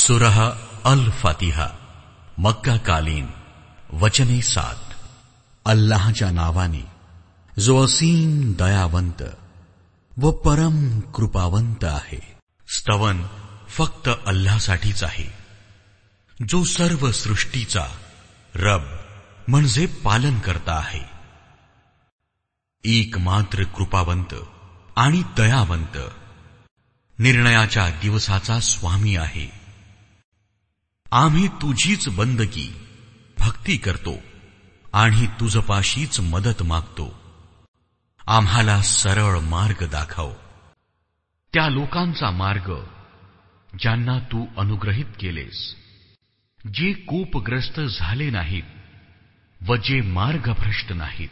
सुरह अल फातिहा मक्का कालीन वचने 7। अल्लाहच्या नावाने जो असीम दयावंत व परम कृपावंत आहे। स्तवन फक्त अल्लाहसाठीच आहे, जो सर्व सृष्टीचा रब म्हणजे पालन करता आहे, एकमात्र कृपावंत आणि दयावंत, निर्णयाच्या दिवसाचा स्वामी आहे। आम्ही तुझीच बंदगी भक्ती करतो आणि तुझपाशीच मदत मागतो। आम्हाला सरळ मार्ग दाखव, त्या लोकांचा मार्ग ज्यांना तू अनुग्रहित केलेस, जे कोपग्रस्त झाले नाहीत व जे मार्गभ्रष्ट नाहीत।